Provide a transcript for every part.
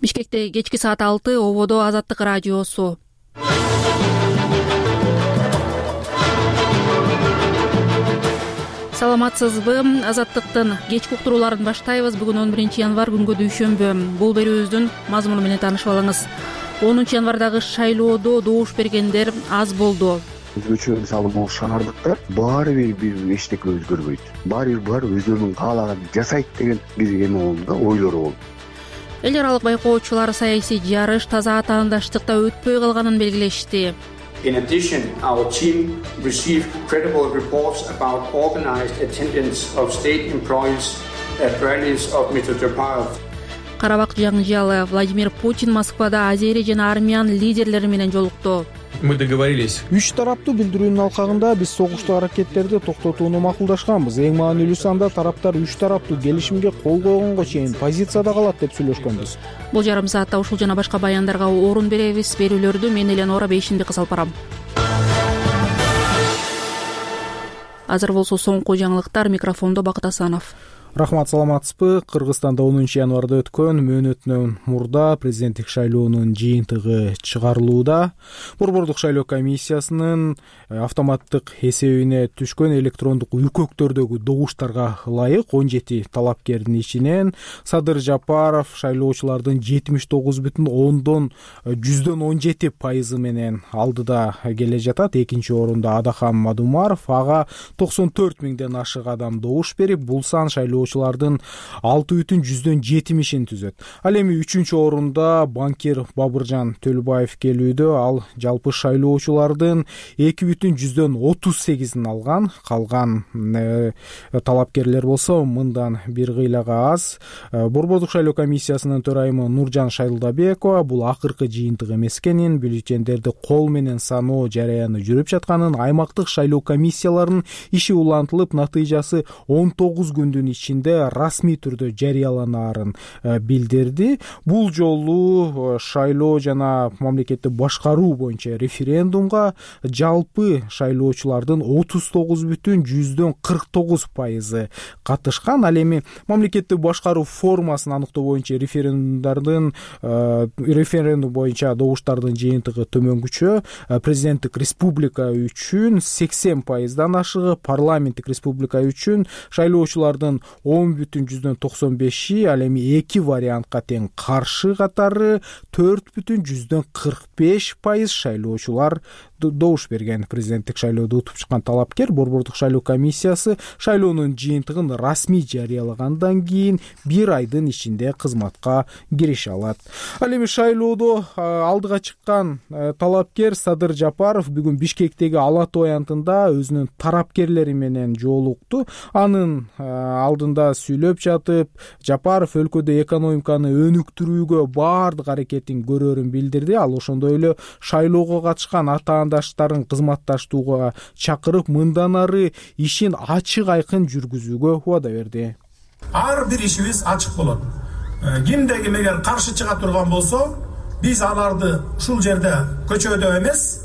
Бишкекте кечки саат 6, ободо Азаттык радиосу. Саламатсызбы? Азаттыктын кечки уктурууларын баштайбыз. Бүгүн 11 январь, күнгө дүйшөмбү. Бул берүүбүздүн мазмуну менен таанышып алыңыз. 10 январдагы шайлоодо добуш бергендер аз болду. Өзгөчө мисалы могу шаардыкта баары бир эчтеке өзгөрбөйт. Баары өздөрүнүн каалаганын жасайт деген бир эме болду да, ойлору болду. Эл аралык байкоочулар саясий жарыш таза атаандаштыкта өтпөй калганын белгилешти. In addition, our team received credible reports about organized attendance of state employees at rallies of Mr. Japarov. Карабак жаңжалы Владимир Путин Москвада Азери жана армян лидерлери менен жолукту. Мы договорились. Үч тараптуу билдирүүнүн алкагында биз согуштуу аракеттерди токтотууну макулдашканбыз. Эң маанилүү санда тараптар үч тараптуу келишимге кол койгонго чейин позицияда калат деп сүйлөшкөнбүз. Бул жарым саатта ушул жана башка баяндарга орун беребиз. Берүүлөрдү мен Эленора Бейшимбек кызып барам. Азыр болсо соңку жаңылыктар, микрофондо Бакыт Асанов. Рахмат, саламатсызбы? Кыргызстанда 10 январда өткөн мөөнөтүнөн мурда президенттик шайлоонун жыйынтыгы чыгарылууда. Борбордук шайлоо комиссиясынын автоматтык эсебине түшкөн электрондук үкөктөрдөгү добуштарга ылайык 17 талапкердин ичинен Садыр Жапаров шайлоочулардын 79,17% менен алдыда келе жатат. Экинчи орунда Адахам Мадумаров, ага 94 миңден ашык адам добуш берип, бул сан шайлоочулардын 6,70%-ин түзөт. Ал эми 3-чү орунда банкир Бабыржан Төлөбаев келүүдө. Ал жалпы шайлоочулардын 2,38%-ин алган. Калган талапкерлер болсо мындан бир кыйлага аз. Борбордук шайлоо комиссиясынын төрайымы Нуржан Шайлдабекова бул акыркы жыйынтык эмес экенин, бюллетендерди кол менен саноо жараяны жүрүп жатканын, аймактык шайлоо комиссияларынын иши улантылып, натыйжасы 19 күндүн ичинде расмий түрдө жарыяланаарын билдирди. Бул жолу шайлоо жана мамлекетти башкаруу боюнча референдумга жалпы шайлоочулардын 39,49% катышкан. Ал эми мамлекетти башкаруу формасын анықтоо боюнча референдум боюнча добуштардын жыйынтыгы төмөнгүчө. Президенттик республика үчүн 80%дан ашыгы, парламенттик республика үчүн шайлоочулардын 10,95%, ал эми эки вариантка тең каршы катары 4,45% шайлоочулар добуш берген. Президенттик шайлоодо утуп чыккан талапкер борбордук шайлоо комиссиясы шайлоонун жыйынтыгын расмий жарыялагандан кийин 1 айдын ичинде кызматка кирише алат. Ал эми шайлоодо алдыга чыккан талапкер Садыр Жапаров бүгүн Бишкектеги Ала Той аянтында өзүнүн тарапкерлери менен жолукту. Анын алдында сүйлөп жатып, Жапаров өлкөдө экономиканы өнүктүрүүгө баардык аракетин көрөрүн билдирди. Ал ошондой эле шайлоого катышкан атаандаштарын кызматташтууга чакырып, мындан ары ишин ачык айкын жүргүзүүгө убада берди. Ар бир ишибиз ачык болот. Кимде ким эгер каршы чыга турган болсо, биз аларды ушул жерде көчөдө эмес,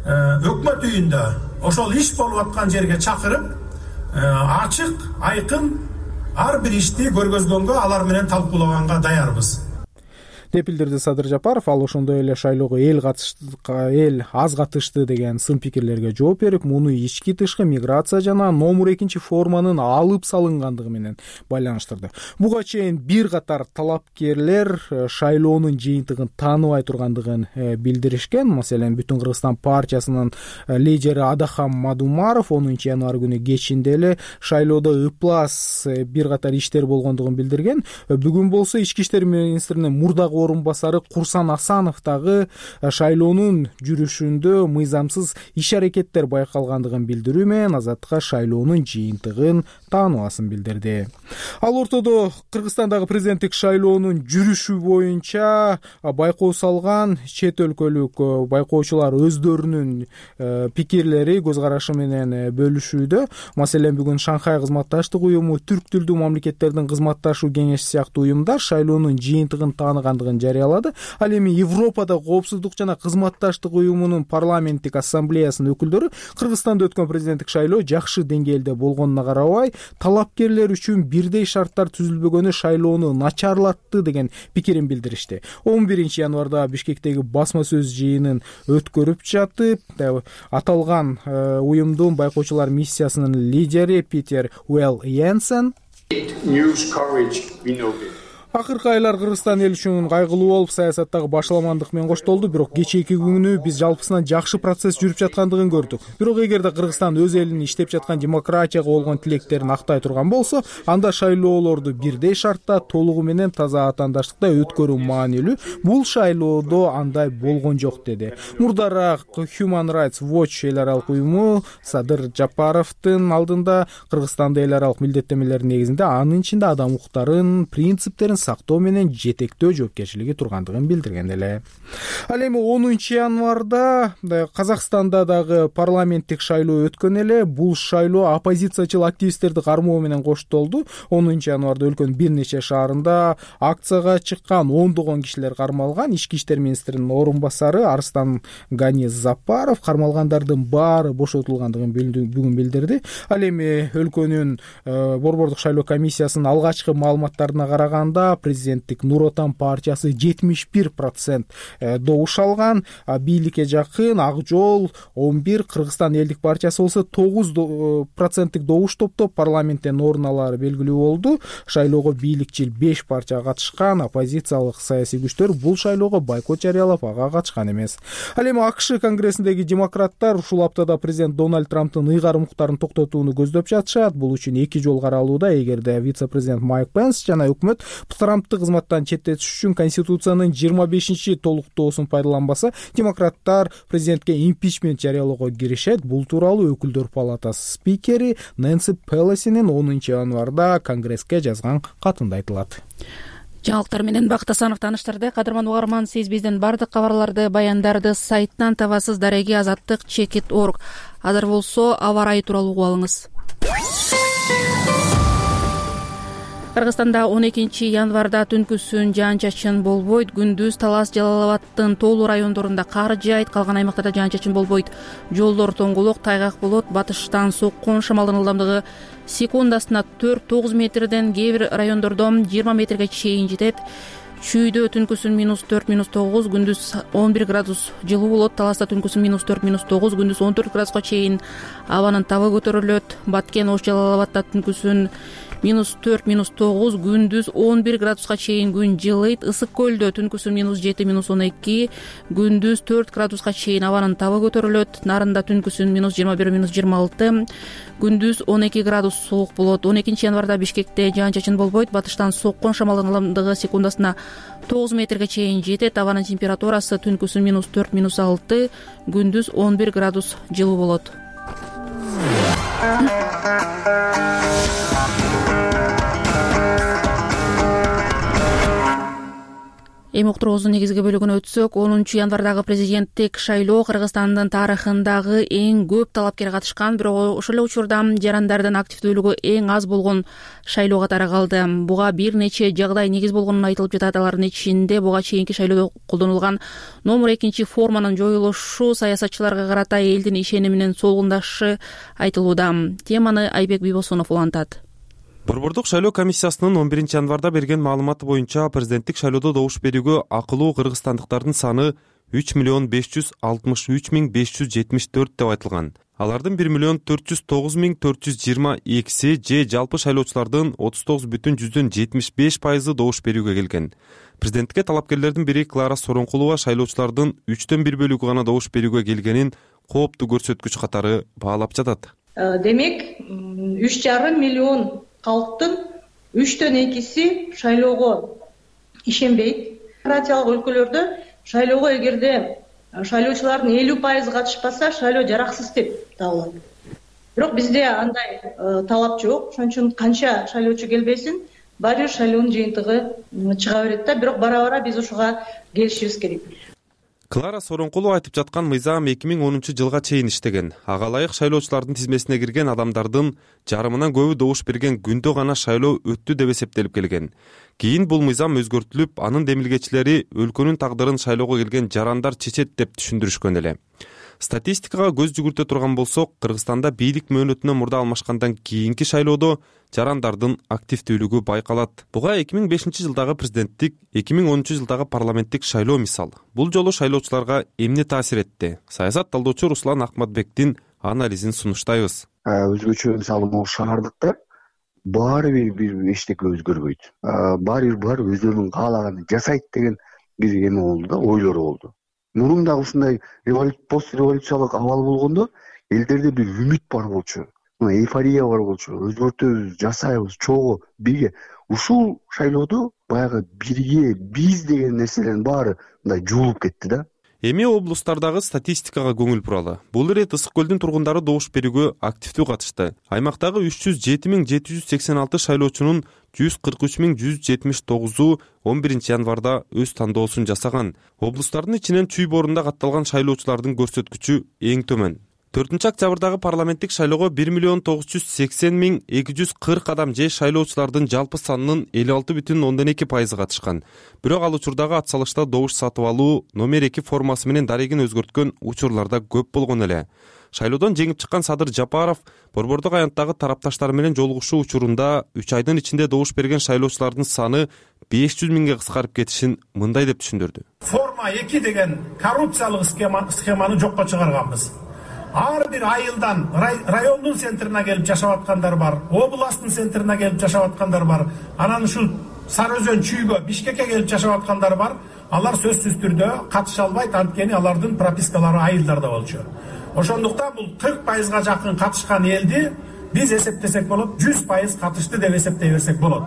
өкмөт үйүндө ошол иш болуп аткан жерге чакырып, ачык айкын ар бир ишти көргөзгөнгө, алар менен талкуулаганга даярбыз деп билдирди Садыр Жапаров. Ал ошондой эле шайлоого эл аз катышты деген сын пикирлерге жооп берип, муну ички тышкы миграция жана номер 2 форманын алып салынгандыгы менен байланыштырды. Буга чейин бир катар талапкерлер шайлоонун жыйынтыгын тааныбай тургандыгын билдиришкен. Маселен, Бүтүн Кыргызстан партиясынын лидери Адахам Мадумаров 10 январь күнү кечинде эле шайлоодо ыплас бир катар иштер болгондугун билдирген. Бүгүн болсо Ички иштер министринин мурдагы орунбасары Курсан Асанов дагы шайлоонун жүрүшүндө мыйзамсыз иш-аракеттер байкалгандыгын билдирүү менен Азаттыкка шайлоонун жыйынтыгын тааныбасын билдирди. Ал ортодо Кыргызстандагы президенттик шайлоонун жүрүшү боюнча байкоо салган чет өлкөлүк байкоочулар өздөрүнүн пикирлери, көз карашы менен бөлүшүүдө. Маселен, бүгүн Шанхай кызматташтык уюму, түрк тилдүү мамлекеттердин кызматташуу кеңеши сыяктуу уюмдар шайлоонун жыйынтыгын тааныгандыгын чыгышын жарыялады. Ал эми Европада коопсуздук жана кызматташтык уюмунун парламенттик ассамблеясынын өкүлдөрү Кыргызстанда өткөн президенттик шайлоо жакшы деңгээлде болгонуна карабай, талапкерлер үчүн бирдей шарттар түзүлбөгөнү шайлоону начарлатты деген пикирин билдиришти. 11 январда Бишкектеги басма сөз жыйынын өткөрүп жатып, аталган уюмдун байкоочулар миссиясынын лидери Питер Уэлл Йенсен акыркы айлар Кыргызстан эл үчүн кайгылуу болуп, саясаттагы башаламандык менен коштолду. Бирок кечээки күнү биз жалпысынан жакшы процесс жүрүп жаткандыгын көрдүк. Бирок эгерде Кыргызстан өз элинин иштеп жаткан демократияга болгон тилектерин актай турган болсо, анда шайлоолорду бирдей шартта, толугу менен таза атаандаштыкта өткөрүү маанилүү. Бул шайлоодо андай болгон жок, деди. Мурдараак Human Rights Watch эл аралык уюму Садыр Жапаровдун алдында Кыргызстанда эл аралык милдеттемелердин негизинде анын ичинде адам укуктарын, принциптерин сактоо менен жетектөө жоопкерчилиги тургандыгын билдирген эле. Ал эми 10 январда Казакстанда дагы парламенттик шайлоо өткөн эле. Бул шайлоо оппозициячыл активисттерди кармоо менен коштолду. 10 январда өлкөнүн бир нече шаарында акцияга чыккан ондогон кишилер кармалган. Ички иштер министринин орун басары Арстан Гани Запаров кармалгандардын баары бошотулгандыгын бүгүн билдирди. Ал эми өлкөнүн борбордук шайлоо комиссиясынын алгачкы маалыматтарына караганда президенттик Нур Отан партиясы 71% добуш алган. Бийликке жакын Ак Жол 11, Кыргызстан элдик партиясы болсо 9% добуш топтоп парламенттен орун алары белгилүү болду. Шайлоого бийликчил 5 партия катышкан. Оппозициялык саясий күчтөр бул шайлоого бойкот жарыялап, ага катышкан эмес. Ал эми АКШ конгрессиндеги демократтар ушул аптада президент Дональд Трамптын ыйгарым укуктарын токтотууну көздөп жатышат. Бул үчүн 2 жол каралууда. Эгерде вице-президент Майк Пенс жана өкмөт Трампты кызматтан четтетиш үчүн Конституциянын 25 толуктоосун пайдаланбаса, демократтар президентке импичмент жарыялоого киришет. Бул тууралуу өкүлдөр палатасы спикери Нэнси Пелосинин 10 январда Конгресске жазган катында айтылат. Жаңылыктар менен Бакыт Асанов тааныштырды. Кадырман угарман, сиз биздин бардык кабарларды, баяндарды сайттан табасыз. Дареги Азаттык.org. Азыр болсо аба ырайы тууралуу угуп алыңыз. Кыргызстанда 12 январда түнкүсүн жаан-чачын болбойт. Күндүз Талас, Жалал Абадтын тоолуу райондорунда кар жаайт, калган аймактарда жаан-чачын болбойт. Жолдор тоңголок, тайгак болот. Батыштан соккон шамалдын ылдамдыгы секундасына 4-9 метрден, кээ бир райондордо 20 метрге чейин жетет. Чүйдө түнкүсүн -4, -9, күндүз 11 градус жылуу болот. Таласта түнкүсүн -4, -9, күндүз 14 градуска чейин абанын табы көтөрүлөт. Баткен, Ош, Жалал Абадта түнкүсүн -4, -9, күндүз 11 градуска чейин күн жылыйт. Ысык көлдө түнкүсүн -7, -12, күндүз 4 градуска чейин абанын табы көтөрүлөт. Нарында түнкүсүн -21, -26, күндүз 12 градус суук болот. 12 январда Бишкекте жаан-чачын болбойт. Батыштан соккон шамалдын ылдамдыгы секундасына 9 метрге чейин жетет. Абанын температурасы түнкүсүн -4, -6, күндүз 11 градус жылуу болот. Эми уктуруубуздун негизги бөлүгүнө өтсөк, 10 январдагы президенттик шайлоо Кыргызстандын тарыхындагы эң көп талапкер катышкан, бирок ошол эле учурда жарандардын активдүүлүгү эң аз болгон шайлоо катары калды. Буга бир нече жагдай негиз болгонун айтылып жатат. Алардын ичинде буга чейинки шайлоодо колдонулган номер 2 форманын жоюлушу, саясатчыларга карата элдин ишениминин солгундашы айтылууда. Теманы Айбек Бибосунов улантат. Борбордук шайлоо комиссиясынын 11 январда берген маалыматы боюнча президенттик шайлоодо добуш берүүгө акылуу кыргызстандыктардын саны 3,563,574 деп айтылган. Алардын 1,409,422 же жалпы шайлоочулардын 39,75% добуш берүүгө келген. Президентке талапкерлердин бири Клара Соронкулова шайлоочулардын 1/3 бөлүгү гана добуш берүүгө келгенин кооптуу көрсөткүч катары баалап жатат. Демек, 3,5 миллион калктын 2/3 шайлоого ишенбейт. Демократиялык өлкөлөрдө шайлоого эгерде шайлоочулардын 50% катышпаса, шайлоо жараксыз деп табылат. Бирок бизде андай талап жок. Ошон үчүн канча шайлоочу келбесин, баары бир шайлоонун жыйынтыгы чыга берет да. Бирок бара-бара биз ушуга келишибиз керек. Клара Соронкулова айтып жаткан мыйзам 2010-жылга чейин иштеген. Ага ылайык шайлоочулардын тизмесине кирген адамдардын жарымынан көбү добуш берген күндө гана шайлоо өттү деп эсептелип келген. Кийин бул мыйзам өзгөртүлүп, анын демилгечилери өлкөнүн тагдырын шайлоого келген жарандар чечет деп түшүндүрүшкөн эле. Статистикага көз жүгүртө турган болсок, Кыргызстанда бийлик мөөнөтүнөн мурда алмашкандан кийинки шайлоодо жарандардын активдүүлүгү байкалат. Буга 2005-жылдагы президенттик, 2010-жылдагы парламенттик шайлоо мисал. Бул жолу шайлоочуларга эмне таасир этти? Саясат талдоочу Руслан Акматбектин анализин сунуштайбыз. Өзгөчө мисалы могу шаардыкта баары бир эчтеке өзгөрбөйт. Баары өздөрүнүн каалаганын жасайт деген бир эме болду да, ойлору болду. Мурун дагы ушундай постреволюциялык абал болгондо элдерде бир үмүт бар болчу, эйфория бар болчу, өзгөртөбүз, жасайбыз, чогуу бирге. Ушул шайлоодо баягы бирге биз деген нерселердин баары мындай жуулуп кетти да. Эми облустардагы статистикага көңүл буралы. Бул ирет Ысык көлдүн тургундары добуш берүүгө активдүү катышты. Аймактагы 307.786 шайлоочунун 143.179-у 11-январда өз тандоосун жасаган. Облустардын ичинен Чүй боорунда катталган шайлоочулардын көрсөткүчү эң төмөн. 4-октябрдагы парламенттик шайлоого 1.980.240 адам же шайлоочулардын жалпы санынын 56,2% катышкан. Бирок ал учурдагы ат салышта добуш сатып алуу номер 2 формасы менен дарегин өзгөрткөн учурларда көп болгон эле. Шайлоодон жеңип чыккан Садыр Жапаров Борбордук аянттагы тарапташтар менен жолугушуу учурунда 3 айдын ичинде добуш берген шайлоочулардын саны 500 миңге кыскарып кетишин мындай деп түшүндүрдү. Форма 2 деген коррупциялык схеманы жокко чыгарганбыз. Ар бир айылдан райондун центрине келип жашап аткандар бар, областтын центрине келип жашап аткандар бар, анан ушул Сары Өзөн Чүйгө, Бишкекке келип жашап аткандар бар. Алар сөзсүз түрдө катыша албайт, анткени алардын пропискалары айылдарда болчу. Ошондуктан бул 40%га жакын катышкан элди биз эсептесек болот, 100% катышты деп эсептей берсек болот.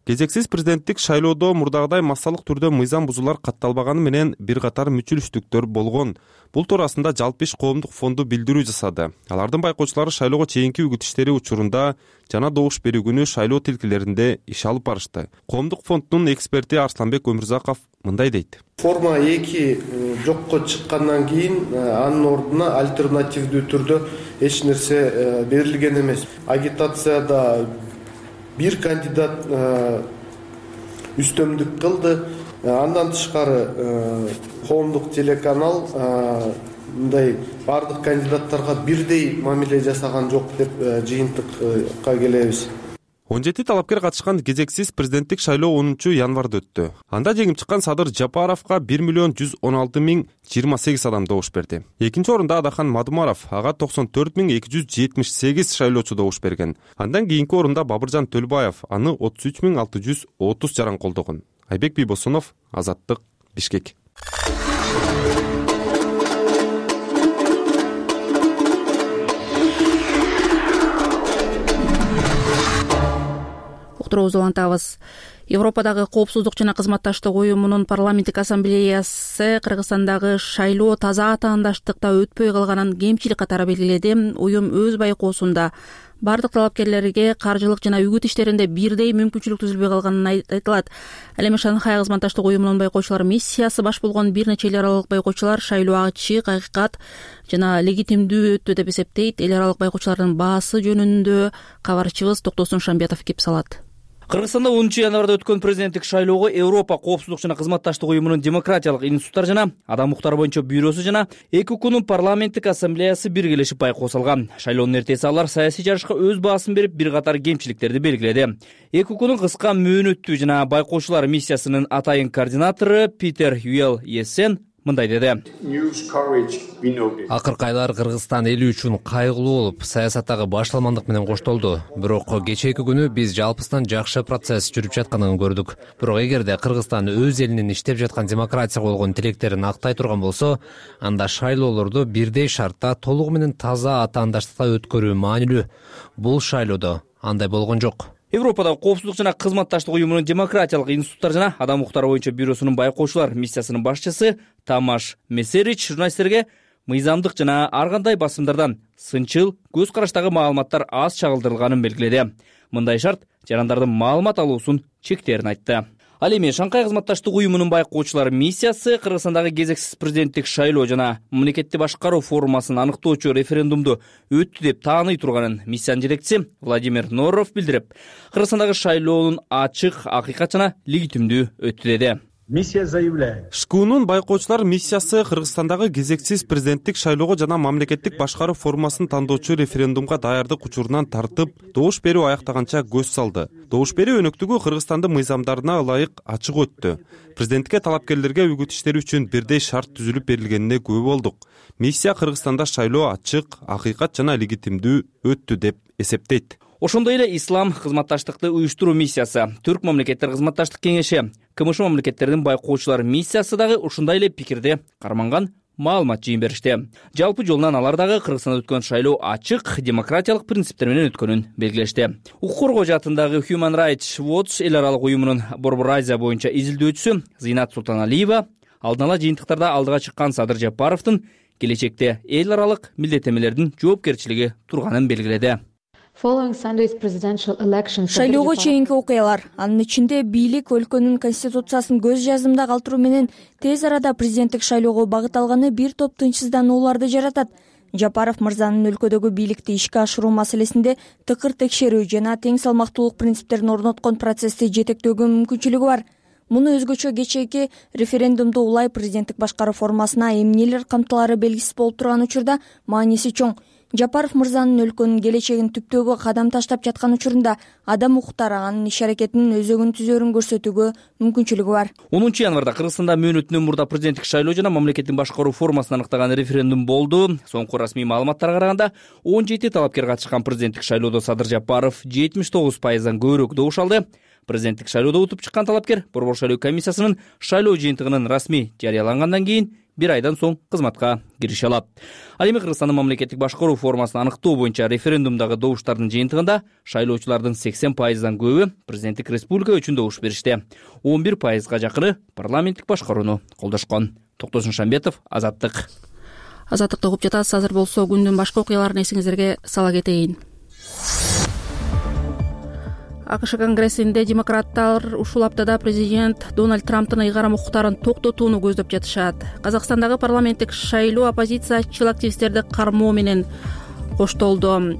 Кезексиз президенттик шайлоодо мурдагыдай массалык түрдө мыйзам бузуулар катталбаганы менен бир катар мүчүлүштүктөр болгон. Бул туурасында Жалпы иш коомдук фонду билдирүү жасады. Алардын байкоочулары шайлоого чейинки үгүт иштери учурунда жана добуш берүү күнү шайлоо тилкелеринде иш алып барышты. Коомдук фонддун эксперти Арсланбек Өмүрзаков мындай дейт. Форма 2 жокко чыккандан кийин анын ордуна альтернативдүү түрдө эч нерсе берилген эмес. Агитацияда бир кандидат үстөмдүк кылды. Андан тышкары коомдук телеканал мындай бардык кандидаттарга бирдей мамиле жасаган жок деп жыйынтыкка келебиз. 17 талапкер катышкан кезексиз президенттик шайлоо 10-январда өттү. Анда жеңип чыккан Садыр Жапаровго 1.116.028 адам добуш берди. Экинчи орунда Адахан Мадумаров, ага 94.278 шайлоочу добуш берген. Андан кийинки орунда Бабыржан Төлбаев, аны 33.630 жаран колдогон. Айбек Бийбосунов, Азаттык, Бишкек. Уктуруубузду улантабыз. Европадагы коопсуздук жана кызматташтык уюмунун парламенттик ассамблеясы Кыргызстандагы шайлоо таза атаандаштыкта өтпөй калганын кемчилик катары белгиледи. Уюм өз байкоосунда бардык талапкерлерге каржылык жана үгүт иштеринде бирдей мүмкүнчүлүк түзүлбөй калганын айтылат. Ал эми Шанхай кызматташтык уюмунун байкоочулар миссиясы баш болгон бир нече эл аралык байкоочулар шайлоо ачык, акыйкат жана легитимдүү өттү деп эсептейт. Эл аралык байкоочулардын баасы жөнүндө кабарчыбыз Токтосун Шамбетов кеп салат. Кыргызстанда 10-январда өткөн президенттик шайлоого Европа коопсуздук жана кызматташтык уюмунун демократиялык институттар жана адам укуктары боюнча бюросу жана ЭКУКнун парламенттик ассамблеясы биргелешип байкоо салган. Шайлоонун эртеси алар саясий жарышка өз баасын берип, бир катар кемчиликтерди белгиледи. ЭКУКнун кыска мөөнөттүү жана байкоочулар миссиясынын атайын координатору Питер Юэл Ессен мындай деди. Акыркы айлар Кыргызстан эли үчүн кайгылуу болуп, саясаттагы башталмандык менен коштолду. Бирок кечээки күнү биз жалпысынан жакшы процесс жүрүп жатканын көрдүк. Бирок эгерде Кыргызстан өз элинин иштеп жаткан демократияга болгон тилектерин актай турган болсо, анда шайлоолорду бирдей шартта толугу менен таза атаандаштыкта өткөрүү маанилүү. Бул шайлоодо андай болгон жок. Европадагы коопсуздук жана кызматташтык уюмунун демократиялык институттар жана адам укуктары боюнча бюросунун байкоочулар миссиясынын башчысы Тамаш Месерич журналисттерге мыйзамдык жана ар кандай басымдардан сынчыл көз караштагы маалыматтар аз чагылдырылганын белгиледи. Мындай шарт жарандардын маалымат алуусун чектерин айтты. Ал эми Шанхай кызматташтык уюмунун байкоочулар миссиясы Кыргызстандагы кезексиз президенттик шайлоо жана мамлекетти башкаруу формасын аныктоочу референдумду өттү деп тааный турганын миссиянын жетекчиси Владимир Норов билдирип, Кыргызстандагы шайлоонун ачык, акыйкат жана легитимдүү өттү деди. Миссия заявляет. ШКУнун байкоочулар миссиясы Кыргызстандагы кезексиз президенттик шайлоого жана мамлекеттик башкаруу формасын тандоочу референдумга даярдык учурунан тартып, добуш берүү аяктаганча көз салды. Добуш берүү өнөктүгү Кыргызстандын мыйзамдарына ылайык ачык өттү. Президентке талапкерлерге үгүт иштери үчүн бирдей шарт түзүлүп берилгенине күбө болдук. Миссия Кыргызстанда шайлоо ачык, акыйкат жана легитимдүү өттү деп эсептейт. Ошондой эле Ислам кызматташтыкты уюштуруу миссиясы, Түрк мамлекеттер кызматташтык кеңеши, КМШ мамлекеттеринин байкоочулар миссиясы дагы ушундай эле пикирде карманган маалымат жыйын беришти. Жалпы жолунан алар дагы Кыргызстанда өткөн шайлоо ачык, демократиялык принциптер менен өткөнүн белгилешти. Укук коргоо жаатындагы Human Rights Watch эл аралык уюмунун Борбор Азия боюнча изилдөөчүсү Зинат Султаналиева алдын ала жыйынтыктарда алдыга чыккан Садыр Жапаровдун келечекте эл аралык милдеттенмелердин жоопкерчилиги турганын белгиледи. Шайлоого чейинки окуялар, анын ичинде бийлик өлкөнүн конституциясын көз жазымда калтыруу менен тез арада президенттик шайлоого багыт алганы бир топ тынчсызданууларды жаратат. Жапаров мырзанын өлкөдөгү бийликти ишке ашыруу маселесинде тыкыр текшерүү жана тең салмактуулук принциптерин орноткон процессти жетектөөгө мүмкүнчүлүгү бар. Муну өзгөчө кечээки референдумду улай президенттик башкаруу формасына эмнелер камтылары белгисиз болуп турган учурда мааниси чоң. Жапаров мырзанын өлкөнүн келечегин түптөөгө кадам таштап жаткан учурунда адам укуктары анын иш-аракетинин өзөгүн түзөрүн көрсөтүүгө мүмкүнчүлүгү бар. 10 январда Кыргызстанда мөөнөтүнөн мурда президенттик шайлоо жана мамлекеттин башкаруу формасын аныктаган референдум болду. Соңку расмий маалыматтарга караганда 17 талапкер катышкан президенттик шайлоодо Садыр Жапаров 79%дан көбүрөөк добуш алды. Президенттик шайлоодо утуп чыккан талапкер Борбор шайлоо комиссиясынын шайлоо жыйынтыгынын расмий жарыялангандан кийин 1 айдан соң кызматка кирише алат. Ал эми Кыргызстандын мамлекеттик башкаруу формасын аныктоо боюнча референдумдагы добуштардын жыйынтыгында шайлоочулардын 80%дан көбү президенттик республика үчүн добуш беришти. 11%га жакыны парламенттик башкарууну колдошкон. Токтосун Шамбетов, Азаттык. Азаттыкты угуп жатасыз. Азыр болсо күндүн башка окуяларын эсиңиздерге сала кетейин. АКШ конгрессинде демократтар ушул аптада президент Дональд Трамптын ыйгарым укуктарын токтотууну көздөп жатышат. Казакстандагы парламенттик шайлоо оппозициячыл активисттерди кармоо менен коштолду.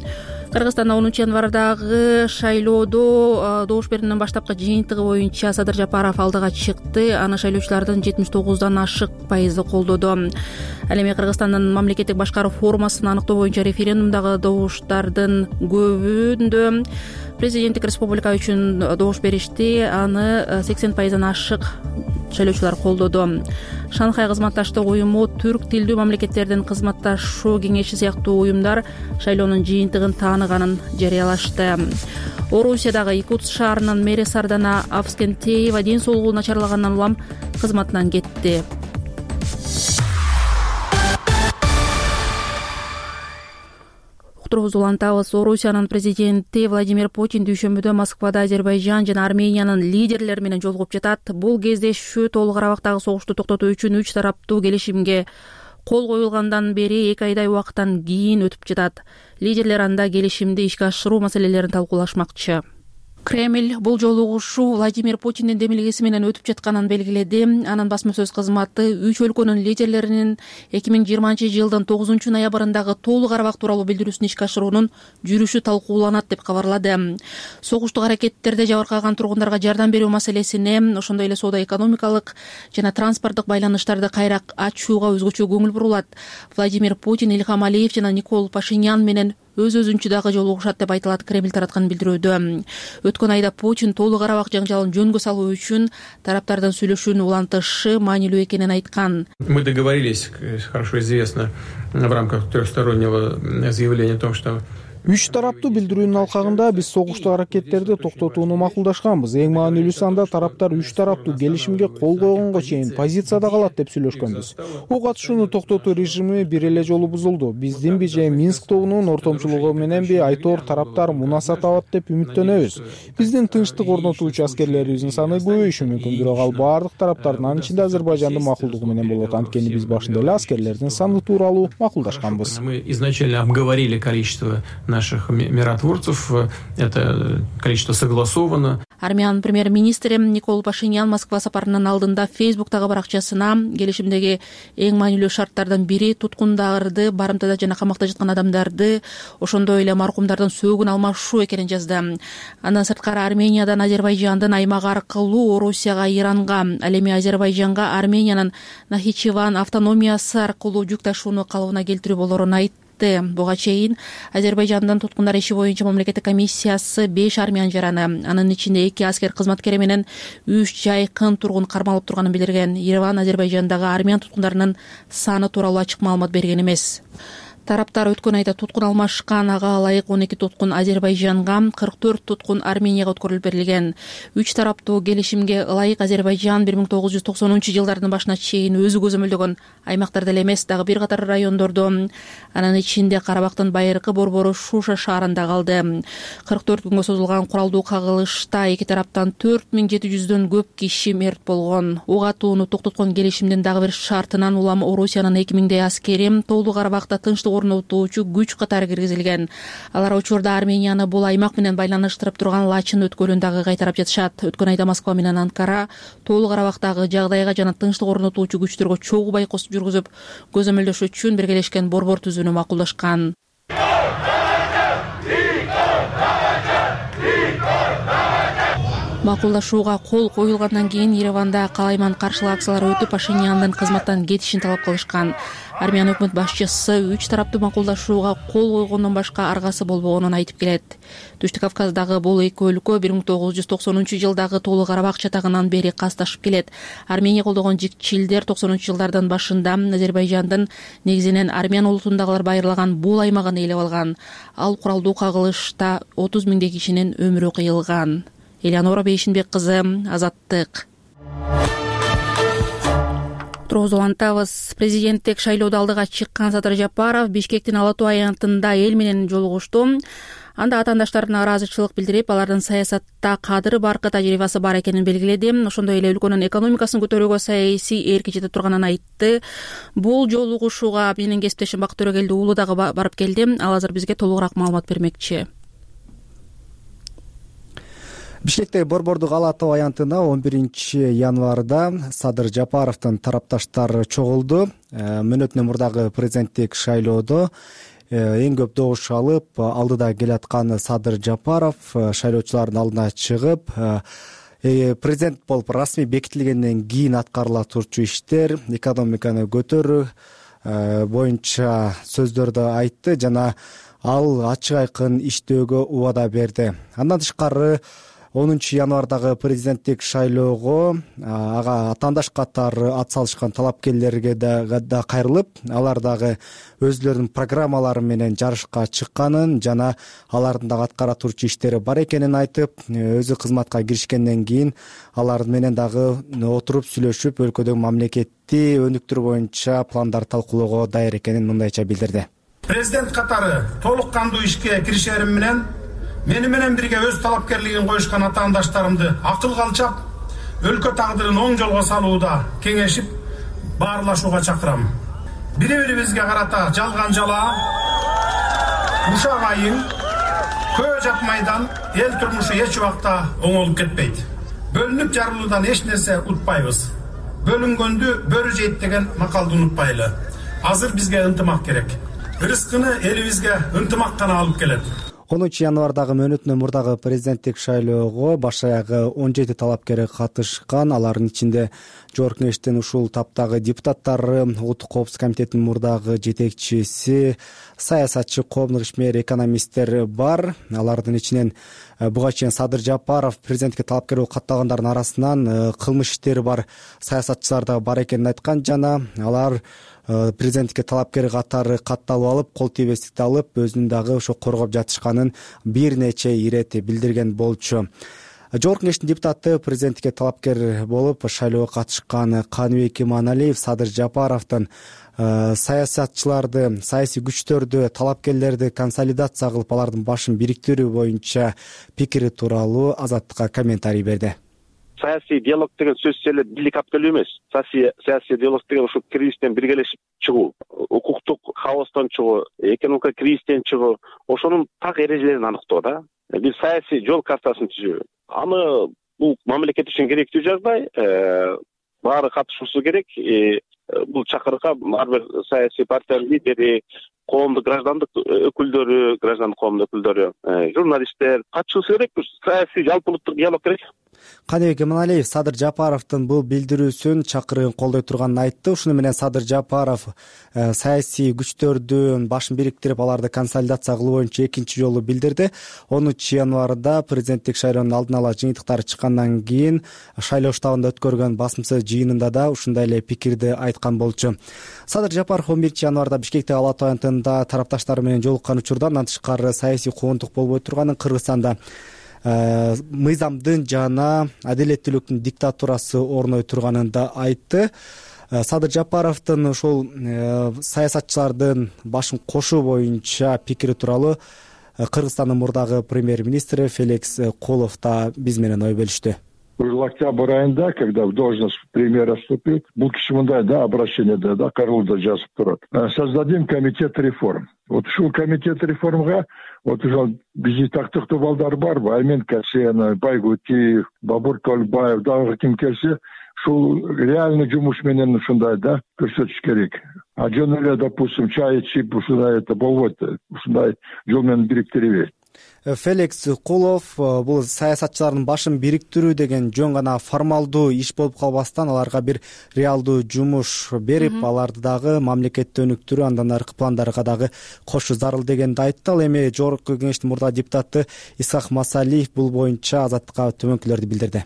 Кыргызстанда 10 январдагы шайлоодо добуш берүүнүн баштапкы жыйынтыгы боюнча Садыр Жапаров алдыга чыкты. Аны шайлоочулардын 79дан ашык пайызы колдоду. Ал эми Кыргызстандын мамлекеттик башкаруу формасын аныктоо боюнча референдумдагы добуштардын көбүндө президенттик республика үчүн добуш беришти. Аны 80%дан ашык шайлоочулар колдоду. Шанхай кызматташтык уюму, түрк тилдүү мамлекеттердин кызматташуу кеңеши сыяктуу уюмдар шайлоонун жыйынтыгын тааныганын жарыялашты. Орусиядагы Якутск шаарынын мэри Сардана Авскентеева ден соолугу начарлагандан улам кызматынан кетти. Улантабыз. Орусиянын президенти Владимир Путин дүйшөмбүдө Москвада Азербайжан жана Армениянын лидерлери менен жолугуп жатат. Бул кездешүү Толук Карабактагы согушту токтотуу үчүн 3 тараптуу келишимге кол коюлгандан бери 2 айдай убакыттан кийин өтүп жатат. Лидерлер анда келишимди ишке ашыруу маселелерин талкуулашмакчы. Кремль бул жолугушуу Владимир Путиндин демилгеси менен өтүп жатканын белгиледи. Анын басма сөз кызматы 3 өлкөнүн лидерлеринин 2020-жылдын 9 ноябрындагы Толук Карабак тууралуу билдирүүсүн ишке ашыруунун жүрүшү талкууланат деп кабарлады. Согуштук аракеттерде жабыркаган тургундарга жардам берүү маселесине, ошондой эле соода-экономикалык жана транспорттук байланыштарды кайра ачууга өзгөчө көңүл бурулат. Владимир Путин, Ильхам Алиев жана Никол Пашинян менен өз-өзүнчө дагы жолугушат деп айтылат Кремль тараткан билдирүүдө. Өткөн айда Путин Толук Карабак жаңжалын жөнгө салуу үчүн тараптардын сүйлөшүүнү улантышы маанилүү экенин айткан. Мы договорились, хорошо известно, в рамках трехстороннего заявления о том, что 3 тараптуу билдирүүнүн алкагында биз согуштук аракеттерди токтотууну макулдашканбыз. Эң маанилүүсү анда тараптар 3 тараптуу келишимге кол койгонго чейин позицияда калат деп сүйлөшкөнбүз. Ок атышууну токтотуу режими бир эле жолу бузулду. Биздинби же Минск тобунун ортомчулугу мененби айтор тараптар мунаса табат деп үмүттөнөбүз. Биздин тынчтык орнотуучу аскерлерибиздин саны көбөйүшү мүмкүн, бирок ал баардык тараптардын, анын ичинде Азербайжандын макулдугу менен болот. Анткени биз башында эле аскерлердин саны тууралуу макулдашканбыз. Мы изначально обговорили количество наших миротворцев. Это количество согласовано. Армянын премьер-министри Никол Пашинян Москва сапарынын алдында Фейсбуктагы баракчасына келишимдеги эң маанилүү шарттардан бири туткундарды, барымтада жана камакта жаткан адамдарды, ошондой эле маркумдардын сөөгүн алмашуу экенин жазды. Андан сырткары Армениядан Азербайжандын аймак аркылуу Орусияга, Иранга, ал эми Азербайжанга Армениянын Нахичеван автономиясы аркылуу жүк ташууну калыбына келтирүү болорун айтты. Буга чейин Азербайжандын туткундар иши боюнча мамлекеттик комиссиясы 5 армян жараны, анын ичинде 2 аскер кызматкери менен 3 жайкын тургун кармалып турганын билдирген. Ереван Азербайжандагы армян туткундарынын саны тууралуу ачык маалымат берген эмес. Тараптар өткөн айда туткун алмашкан, ага ылайык 12 туткун Азербайжанга, 44 туткун Арменияга өткөрүлүп берилген. 3 тараптуу келишимге ылайык Азербайжан 1990-жылдардын башына чейин өзү көзөмөлдөгөн аймактарда эле эмес, дагы бир катар райондордо, анын ичинде Карабактын байыркы борбору Шуша шаарында калды. 44 күнгө созулган куралдуу кагылышта эки тараптан 4700дөн көп киши мерт болгон. Ок атууну токтоткон келишимдин дагы бир шартынан улам Орусиянын 2000 аскери Тоолуу Карабакта тынчтык орнотуучу күч катары киргизилген. Алар учурда Арменияны бул аймак менен байланыштырып турган Лачын өткөлүн дагы кайтарып жатышат. Өткөн айда Москва менен Анкара Тоолуу Карабактагы жагдайга жана тынчтык орнотуучу күчтөргө чогуу байкоос жүргүзүп, көзөмөлдөш үчүн биргелешкен борбор түзүүнү макулдашкан. Макулдашууга кол коюлгандан кийин Ереванда калайман каршылоо акциялары өтүп, Пашиняндын кызматтан кетишин талап кылышкан. Армян өкмөт башчысы 3 тараптуу макулдашууга кол койгондон башка аргасы болбогонун айтып келет. Түштүк Кавказдагы бул эки өлкө 1990-жылдагы Тоолуу Карабак чатагынан бери касташып келет. Армения колдогон жикчилдер 90-жылдардын башында Азербайжандын негизинен армян улутундагылар байырлаган бул аймагын ээлеп алган. Ал куралдуу кагылышта 30 миңдей кишинин өмүрү кыйылган. Элеонора Бейшинбек кызы, Азаттык. Тургуз улантабыз. Президенттик шайлоодо алдыга чыккан Садыр Жапаров Бишкектин Ала Тоо аянтында эл менен жолугушту. Анда атаандаштарына ыраазычылык билдирип, алардын саясатта кадыры баркы тажрыйбасы бар экенин белгиледи. Ошондой эле өлкөнүн экономикасын көтөрүүгө саясий эрки жете турганын айтты. Бул жолугушууга менин кесиптешим Бакыт Төрөгелди уулу дагы барып келди. Ал азыр бизге толугураак маалымат бермекчи. Бишкектеги борбордук Ала Тоо аянтына 11-январда Садыр Жапаровдун тарапташтары чогулду. Мөөнөтүнөн мурдагы президенттик шайлоодо эң көп добуш алып, алдыда келаткан Садыр Жапаров шайлоочулардын алдына чыгып, президент болуп расмий бекитилгенден кийин аткарыла турчу иштер, экономиканы көтөрүү боюнча сөздөрдү айтты жана ал ачык айкын иштөөгө убада берди. Андан тышкары 10 январдагы президенттик шайлоого ага атаандаш катары ат салышкан талапкерлерге да кайрылып, алар дагы өзлөрүнүн программалары менен жарышка чыкканын жана алардын дагы аткара турчу иштери бар экенин айтып, өзү кызматка киришкенден кийин алар менен дагы отуруп сүйлөшүп, өлкөдөгү мамлекетти өнүктүрүү боюнча пландар талкуулоого даяр экенин мындайча билдирди. Президент катары толук кандуу ишке киришерим менен мени менен бирге өз талапкерлигин коюшкан атаандаштарымды акылга алчап, өлкө тагдырын оң жолго салууда кеңешип, баарлашууга чакырам. Бири-бирибизге карата жалган жалаа, ушак айың, көө жатмайдан эл турмушу эч убакта оңолуп кетпейт. Бөлүнүп жарылуудан эч нерсе утпайбыз. Бөлүнгөндү бөрү жейт деген макалды унутпайлы. Азыр бизге ынтымак керек. Рызкыны элибизге ынтымак гана алып келет. 10 январдагы мөөнөтүнөн мурдагы президенттик шайлоого баш аягы 17 талапкер катышкан. Алардын ичинде Жогорку Кеңештин ушул таптагы депутаттары, Улуттук коопсуздук комитетинин мурдагы жетекчиси, саясатчы, коомдук ишмер, экономисттер бар. Алардын ичинен буга чейин Садыр Жапаров президенттикке талапкер болуп катталгандардын арасынан кылмыш иштери бар саясатчылар да бар экенин айткан жана алар президенттикке талапкер катары катталып алып, кол тийбестикти алып, өзүнүн дагы ошо коргоп жатышканын бир нече ирет билдирген болчу. Жогорку Кеңештин депутаты президенттикке талапкер болуп шайлоого катышкан Каныбек Иманалиев Садыр Жапаровдун саясатчыларды, саясий күчтөрдү, талапкерлерди консолидация кылып, алардын башын бириктирүү боюнча пикири тууралуу Азаттыкка комментарий берди. Саясий диалог деген сөз эле бийлик алып келүү эмес. Саясий диалог деген ушу кризистен биргелешип чыгуу, укуктук хаостон чыгуу, экономика кризистен чыгуу, ошонун так эрежелерин аныктоо да. Бир саясий жол картасын түзүү. Аны бул мамлекет үчүн керектүү жагдай, баары катышуусу керек. Бул чакырыкка ар бир саясий партиянын лидери, коомдук граждандык өкүлдөрү, граждандык коомдун өкүлдөрү, журналисттер катышуусу керек. Саясий жалпы улуттук диалог керек. Каныбек Эманалиев Садыр Жапаровдун бул билдирүүсүн, чакырыгын колдой турганын айтты. Ушуну менен Садыр Жапаров саясий күчтөрдүн башын бириктирип, аларды консолидация кылуу боюнча экинчи жолу билдирди. 10 январда президенттик шайлоонун алдын ала жыйынтыктары чыккандан кийин шайлоо штабында өткөргөн басмасы жыйынында да ушундай эле пикирди айткан болчу. Садыр Жапаров 11 январда Бишкектеги Ала Тоо аянтында тарапташтары менен жолуккан учурда андан тышкары саясий куугунтук болбой турганын, Кыргызстанда мыйзамдын жана адилеттүүлүктүн диктатурасы орной турганын да айтты. Садыр Жапаровдун ошол саясатчылардын башын кошуу боюнча пикири тууралуу Кыргызстандын мурдагы премьер-министри Феликс Кулов да биз менен ой бөлүштү. Уже октябрь айында, когда в должность премьера вступит, бул киши мындай обращение кароолдо жазып турат. Создадим комитет реформ. Вот ушул комитет реформга уже биздин тактыктуу балдар барбы? Аймен Касенов, Байгутиев, Бабур Толбаев, дагы ким келсе, ушул реальный жумуш менен ушундай көрсөтүш керек. А жөн эле, допустим, чай ичип ушундай болбойт. Ушундай жол менен бириктирбейт. Феликс Кулов бул саясатчылардын башын бириктирүү деген жөн гана формалдуу иш болуп калбастан, аларга бир реалдуу жумуш берип, аларды дагы мамлекетти өнүктүрүү, андан аркы пландарга дагы кошуу зарыл дегенди айтты. Ал эми Жогорку Кеңештин мурдагы депутаты Исхак Масалиев бул боюнча Азаттыкка төмөнкүлөрдү билдирди.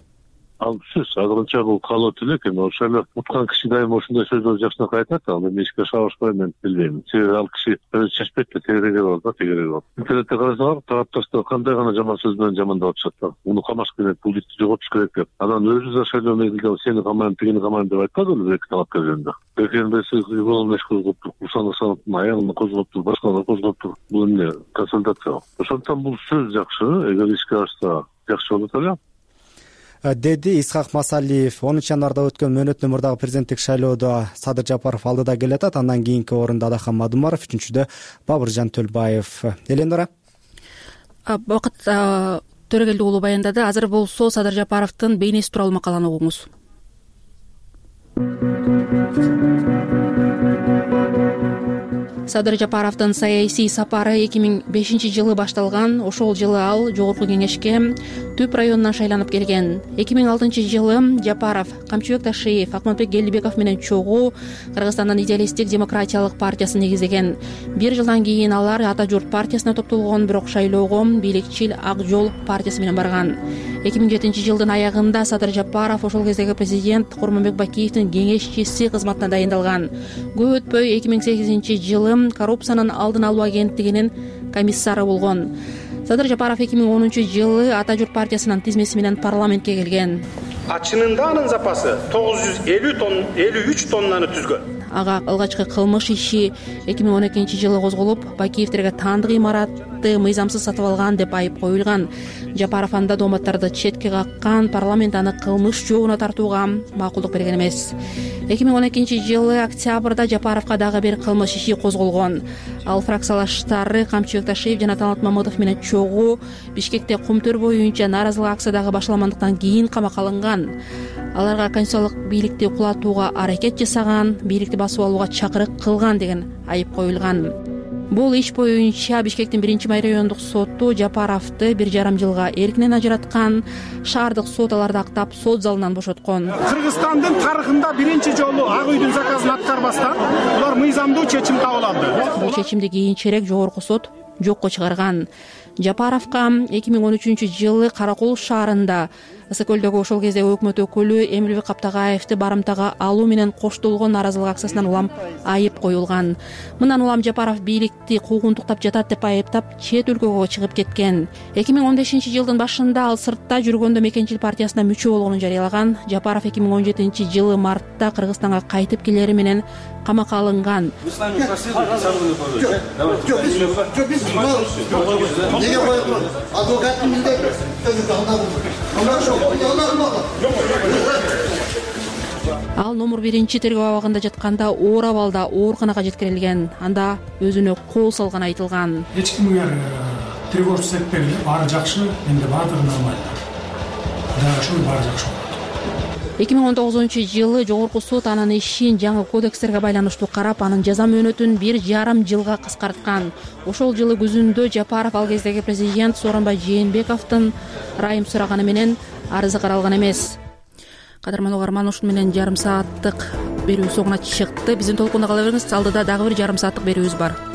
Ал сөз азырынча бул калуу тилек, эми ошол эле уткан киши дайыма ошондой сөздөрдү жакшыраак айтат. Ал эми эчке шабышпай мен билбейм. Себеби ал киши өзү чечпейт да, тегереги бар, тегереги бар. Интернетте карасаңар, тарапташтар кандай гана жаман сөз менен жамандап атышат да. Муну камашып керек, бул итти жоготуш керек деп. Анан өзү да шайлоо мезгилинде сени камайм, тигини камайм деп айткан эле эки талапкер жөнүндө. Экенбеси голун эш козгоптур, курсаны санаптын аягын козгоптур, башканы козгоптур. Бул эмне консолидация. Ошондуктан бул сөз жакшы, эгер ишке ашса жакшы болот эле. Деди Исхак Масалиев. 10 январда өткөн мөөнөттүү мурдагы президенттик шайлоодо Садыр Жапаров алдыда келатат. Андан кийинки орунда Адахан Мадумаров, 3-чүдө Бабыржан Төлбаев. Элендора. Бакыт Төрөгелди уулу баяндады. Азыр болсо Садыр Жапаровдун бейнеси тууралуу макаланы угуңуз. Садыр Жапаровдун саясий сапары 2005-жылы башталган. Ошол жылы ал Жогорку Кеңешке Түп районунан шайланып келген. 2006-жылы Жапаров Камчыбек Ташиев, Акматбек Келдибеков менен чогуу Кыргызстандын идеалисттик демократиялык партиясын негиздеген. 1 жылдан кийин алар Ата журт партиясына топтолгон, бирок шайлоого бийликчил Ак жол партиясы менен барган. 2007-жылдын аягында Садыр Жапаров ошол кездеги президент Курманбек Бакиевдин кеңешчиси кызматына дайындалган. Көп өтпөй 2008-жылы коррупциянын алдын алуу агенттигинин комиссары болгон. Садыр Жапаров 2010-жылы Ата журт партиясынын тизмеси менен парламентке келген. Чынында анын запасы 953 тоннаны түзгөн. Ага алгачкы кылмыш иши 2012-жылы козголуп, Бакиевдерге таандык имаратты мыйзамсыз сатып алган деп айып коюлган. Жапаров анда дооматтарды четке каккан, парламент аны кылмыш жообуна тартууга макулдук берген эмес. 2012-жылы октябрда Жапаровго дагы бир кылмыш иши козголгон. Ал фракциялаштары Камчыбек Ташиев жана Талант Мамытов менен чогуу Бишкекте кумтөр боюнча нааразылык акция башталгандыктан кийин камакка алынган. Аларга конституциялык бийликти кулатууга аракет жасаган, бийликти басып алууга чакырык кылган деген айып коюлган. Бул иш боюнча Бишкектин 1-май райондук соту Жапаровду 1,5 жылга эркинен ажыраткан. Шаардык сот аларды актап сот залынан бошоткон. Кыргызстандын тарыхында биринчи жолу Ак үйдүн заказын аткарбастан булар мыйзамдуу чечим кабыл алды. Бул чечимди кийинчерээк жогорку сот жокко чыгарган. Жапаровго 2013-жылы Каракол шаарында Ысык көлдөгү ошол кездеги өкмөт өкүлү Эмилбек Каптагаевди барымтага алуу менен коштолгон нааразылык акциясынан улам айып коюлган. Мындан улам Жапаров бийликти куугунтуктап жатат деп айыптап чет өлкөгө чыгып кеткен. 2015-жылдын башында ал сыртта жүргөндө Мекенчил партиясына мүчө болгонун жарыялаган. Жапаров 2017-жылы мартта Кыргызстанга кайтып келери менен камакка алынган. Ал номер 1 тергөө абагында жатканда оор абалда ооруканага жеткирилген. Анда өзүнө кол салганы айтылган. Эч кимге тревожный сетпегиле, баары жакшы, менде баардыгы нормально. Кудайга шүгүр, баары жакшы болот. 2019-жылы Жогорку сот анын ишин жаңы кодекстерге байланыштуу карап, анын жаза мөөнөтүн 1,5 жылга кыскарткан. Ошол жылы күзүндө Жапаров ал кездеги президент Сооронбай Жээнбековдун ырайым сураганы менен арызы каралган эмес. Кадырман угарман, ушун менен жарым сааттык берүү соңуна чыкты. Биздин толкунда кала бериңиз. Алдыда дагы бир жарым сааттык берүүбүз бар.